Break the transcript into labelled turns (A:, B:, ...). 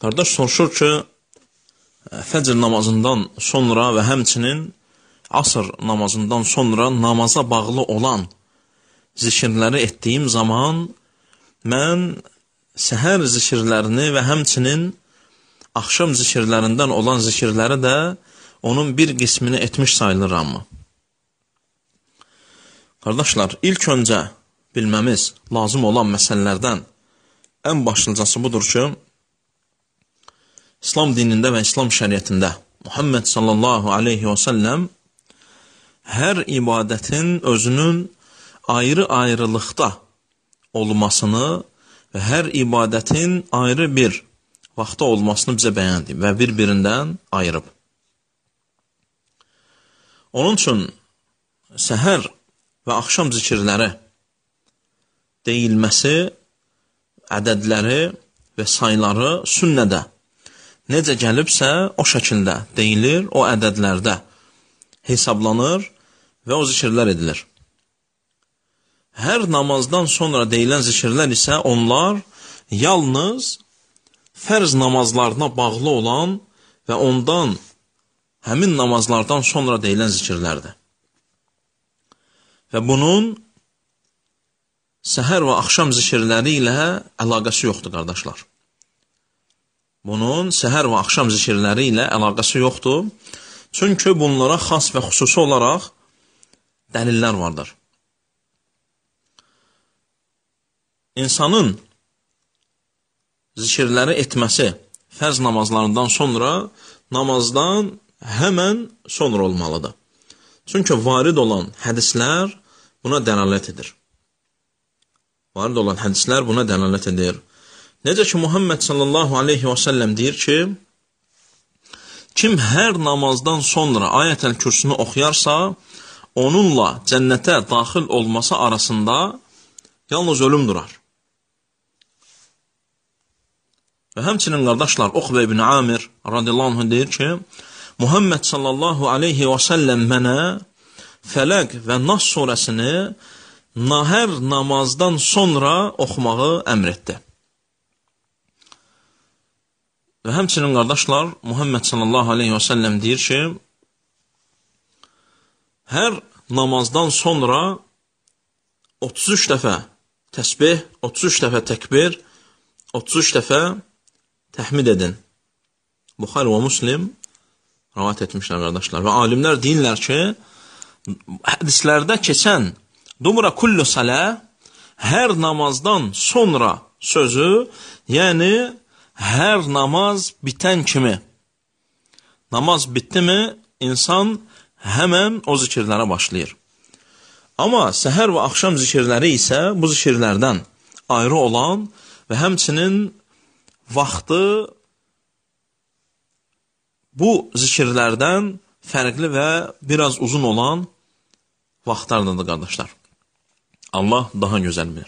A: Qardaş soruşur ki, fəcr namazından sonra və həmçinin asr namazından sonra namaza bağlı olan zikirləri etdiyim zaman mən səhər zikirlərini və həmçinin axşam zikirlərindən olan zikirləri də onun bir qismini etmiş sayılırammı? Qardaşlar, ilk öncə bilməmiz lazım olan məsələlərdən ən başlıcası budur ki, İslam dinində və İslam şəriətində Muhammed sallallahu aleyhi və səlləm hər ibadətin özünün ayrı-ayrılıqda olmasını və hər ibadətin ayrı bir vaxtda olmasını bizə bəyan edib və bir-birindən ayırıb. Onun üçün səhər və axşam zikirləri deyilməsi, ədədləri və sayları sünnədə necə gəlibsə o şəkildə deyilir, o ədədlərdə hesablanır və o zikirlər edilir. Hər namazdan sonra deyilən zikirlər isə onlar yalnız fərz namazlarına bağlı olan və ondan həmin namazlardan sonra deyilən zikirlərdir. Və bunun səhər və axşam zikirləri ilə əlaqəsi yoxdur, qardaşlar. Bunun səhər və axşam zikirləri ilə əlaqəsi yoxdur. Çünki bunlara xas və xüsusi olaraq dəlillər vardır. İnsanın zikirləri etməsi fərz namazlarından sonra namazdan həmən sonra olmalıdır. Çünki varid olan hədislər buna dəlalət edir. Varid olan hədislər buna dəlalət edir. Necə ki, Muhammed sallallahu aleyhi və səlləm deyir ki, kim hər namazdan sonra ayət-əl kürsünü oxuyarsa, onunla cənnətə daxil olması arasında yalnız ölüm durar. Və həmçinin qardaşlar, Uqbə ibn Amir radiyallahu anh deyir ki, Muhammed sallallahu aleyhi və səlləm mənə Fələq və Nas surəsini hər namazdan sonra oxumağı əmr etdi. Və həmçinin qardaşlar, Muhammed sallallahu aleyhi və səlləm deyir ki, hər namazdan sonra 33 dəfə təsbih, 33 dəfə təkbir, 33 dəfə təhmid edin. Buxari və Müslim rivayət etmişlər, qardaşlar. Və alimlər deyirlər ki, hədislərdə keçən dumra kullu salə, hər namazdan sonra sözü, yəni hər namaz bitən kimi. Namaz bitdi mi, insan həmən o zikirlərə başlayır. Amma səhər və axşam zikirləri isə bu zikirlərdən ayrı olan və həmçinin vaxtı bu zikirlərdən fərqli və biraz uzun olan vaxtlardadır, qardaşlar. Allah daha gözəl bilir.